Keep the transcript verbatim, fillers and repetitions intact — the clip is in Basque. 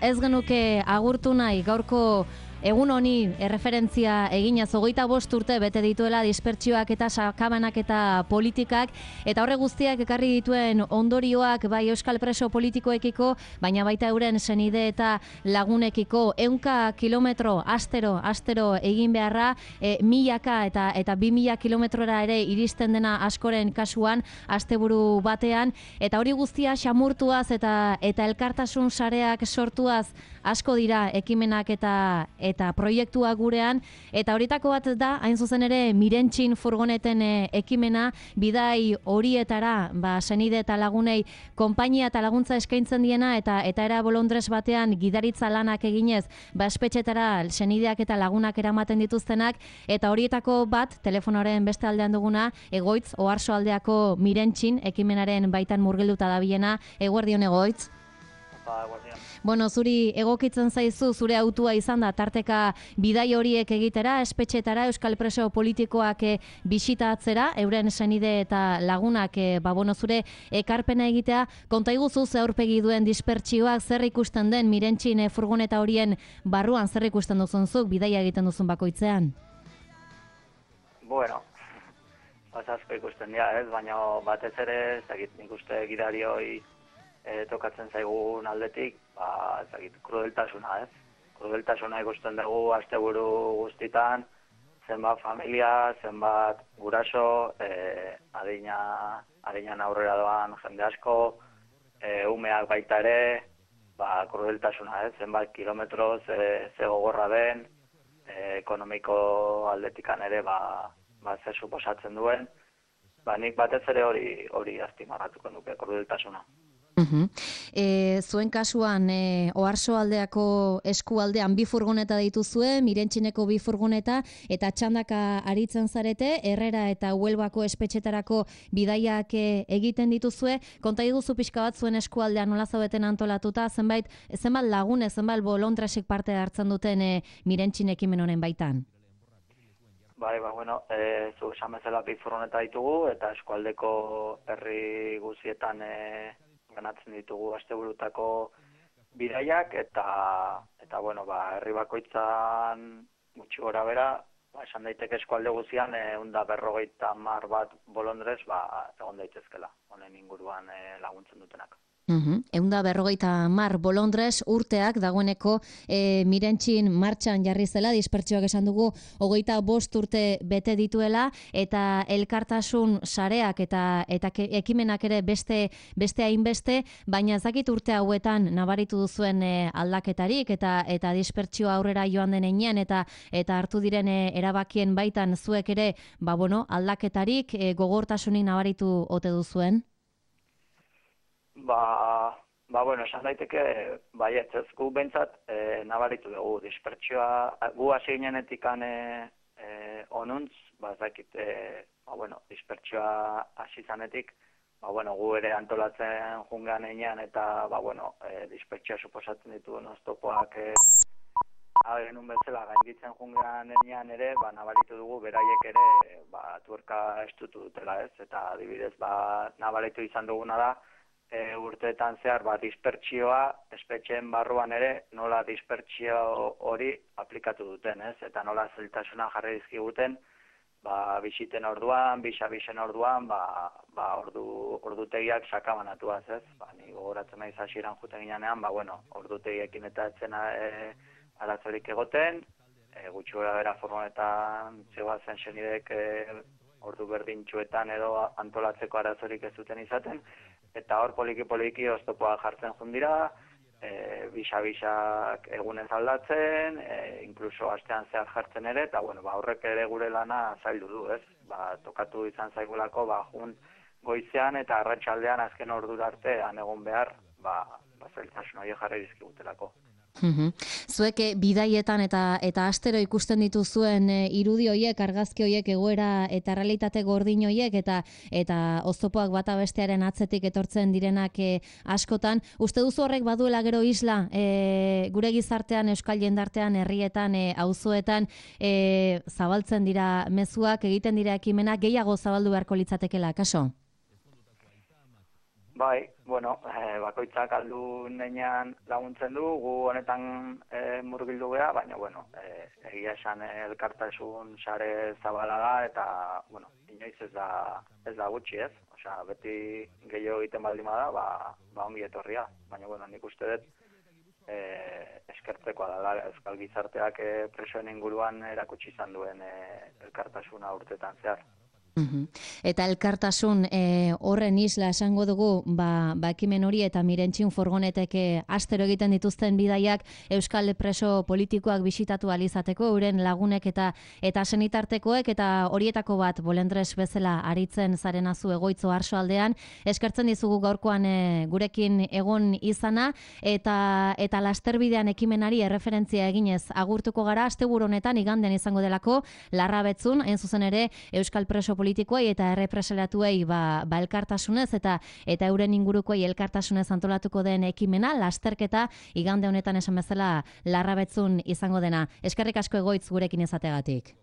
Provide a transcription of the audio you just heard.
Ez genuke agurtu nahi gaurko egun honi erreferentzia eginaz hogeita bost urte bete dituela dispertsioak eta sakabanak eta politikak, eta horre guztiak ekarri dituen ondorioak bai euskal preso politikoekiko, baina baita euren senide eta lagunekiko. Ehunka kilometro astero astero egin beharra, e, milaka eta eta bi mila kilometrora ere iristen dena askoren kasuan asteburu batean, eta hori guztia xamurtuaz eta eta elkartasun sareak sortuaz asko dira ekimenak eta eta proiektua gurean, eta horietako bat da, hain zuzen ere, Mirentxin furgoneten e, ekimena, bidai horietara, ba, senide eta lagunei konpainia eta laguntza eskaintzen diena, eta eta era bolondrez batean gidaritza lanak eginez, ba, espetxetara senideak eta lagunak eramaten dituztenak, eta horietako bat, telefonoaren beste aldean duguna, Egoitz, Oarso aldeako Mirentxin ekimenaren baitan murgilduta dabilena. Eguerdion, Egoitz. Bueno, zuri egokitzen zaizu zure autua izan da tarteka bidai horiek egitera, espetxetara, euskal preso politikoak e, bisitatzera, euren senide eta lagunak e, ba, bueno, zure ekarpena egitea. Konta iguzu ze aurpegi duen dispertsioak, zer ikusten den Mirentxin e, furgoneta horien barruan, zer ikusten duzun zuk, bidaia egiten duzun bakoitzean? Bueno, asko ikusten dira, ez, baina batez ere, ezagit nik uste gidarioi E, tokatzen zaigun aldetik, ba, ezagit, krudeltasuna, ez? Krudeltasuna ikusten dugu asteburu guztitan, zenbat familia, zenbat guraso, e, adina, adinan aurrera doan jende asko, e, umeak baita ere, ba, krudeltasuna, ez? Zenbat kilometroz, e, ze gogorra den, e, ekonomiko aldetikan ere, ba, ba, zer suposatzen duen, ba, nik batez ere hori, hori azpimarratuko nuke, krudeltasuna. Uh-huh. E, zuen kasuan, e, Oarso aldeako eskualdean bi furgoneta dituzue, Mirentxineko bi furgoneta, eta txandaka aritzen zarete, Herrera eta Huelbako espetxetarako bidaiak egiten dituzue. Konta iguzu pixka bat zuen eskualdean nola zaudeten antolatuta, zenbait, zenbat lagune, zenbat bolondresek parte hartzen duten e, Mirentxin ekimen honen baitan? Bai, ba, bueno, e, zu esan bezala bi furgoneta ditugu, eta eskualdeko herri guzietan e, ganatzen ditugu asteburutako bidaiak, eta, eta bueno, ba, herri bakoitzan gutxi gora bera, ba, esan daiteke eskualde guzian, ehun eta berrogeita hamar bat bolondrez, ba, egon daitezkela, honen inguruan e, laguntzen dutenak. Uhum. Eunda berrogeita mar bolondrez urteak dagoeneko e, Mirentxin martxan jarri zela, dispertsioak esan dugu hogeita bost urte bete dituela, eta elkartasun sareak eta eta ke, ekimenak ere beste beste hainbeste, baina ez dakit urte hauetan nabaritu duzuen e, aldaketarik eta eta dispertsioa aurrera joan den heinean eta eta hartu diren e, erabakien baitan zuek ere, ba bueno, aldaketarik e, gogortasunik nabaritu ote duzuen? Ba, ba, bueno, esan daiteke, bai, ez gu bentsat e, nabaritu dugu dispertsioa, gu hasi ginenetik e, e, onuntz, ba, ez dakit, e, ba, bueno, dispertsioa hasi zanetik, ba, bueno, gu ere antolatzen jungean einean, eta, ba, bueno, e, dispertsioa suposatzen ditu oztopoak e, genuen bezala gainditzen jungean einean ere, ba, nabaritu dugu beraiek ere, ba, tuerka estutu dutela, ez, eta adibidez, ba, nabaritu izan duguna da, E, urteetan zehar ba, dispertsioa, espetxeen barruan ere, nola dispertsio hori aplikatu duten, ez? Eta nola zeltasuna jarri dizkiguten, ba, bisiten orduan, bisa-bisen orduan, ba, ba, ordu, ordutegiak sakabanatuaz, ez? Ba, ni gogoratzen naiz hasieran juten ginean, ba, bueno, ordutegiekin eta etzen e, arazorik egoten, e, gutxi gora bera furgonetan zegoazen senidek e, ordu berdintxuetan edo antolatzeko arazorik ez duten izaten, eta hor poliki-poliki oztopoa jartzen jundira, e, bisa-bisak egunez aldatzen, e, inkluso astean zehar jartzen ere, eta bueno, ba, horrek ere gure lana zaildu du, ez? Ba, tokatu izan zaigulako, ba, jun goizean eta arratsaldean azken ordura arte egon behar, ba, ba zailtasun horiek jarri dizkigutelako. Uhum. Zuek bidaietan eta eta astero ikusten dituzuen e, irudi hoiek, argazki hoiek, egoera eta realitate gordin hoiek eta eta oztopoak bata bestearen atzetik etortzen direnak e, askotan, uste duzu horrek baduela gero isla e, gure gizartean, euskal jendartean, herrietan, e, auzoetan e, zabaltzen dira mezuak, egiten dira ekimenak, gehiago zabaldu beharko litzatekeela, kaso? Bai, bueno, e, bakoitzak aldu nenean laguntzen du, gu honetan e, murgildu geha, baina, bueno, e, egia esan elkartasun sare zabala da, eta, bueno, inoiz ez da, ez da gutxi ez, osea, beti gehiago egiten baldin bada, ba, ba ongi etorria, baina, bueno, nik uste dut, e, eskertzekoa dela, euskal gizarteak e, presoen inguruan erakutsi izan duen e, elkartasuna urtetan zehar. Eta elkartasun e, horren isla esango dugu, ba, ba ekimen hori eta Mirentxin furgonetek astero egiten dituzten bidaiak euskal preso politikoak bisitatu alizateko, euren lagunek eta eta senitartekoek, eta horietako bat Bolendres bezala aritzen zarenazu Egoitzo Arsoaldean. Eskertzen dizugu gaurkoan e, gurekin egon izana, eta eta lasterbidean ekimenari erreferentzia eginez agurtuko gara, asteburu honetan igandean izango delako Larrabetzun, hain zuzen ere euskal preso politikoei eta errepresalatuei ba, ba elkartasunez eta eta euren ingurukoei elkartasunez antolatuko den ekimena, lasterketa igande honetan esan bezala Larrabetzun izango dena. Eskerrik asko Egoitz gurekin izategatik.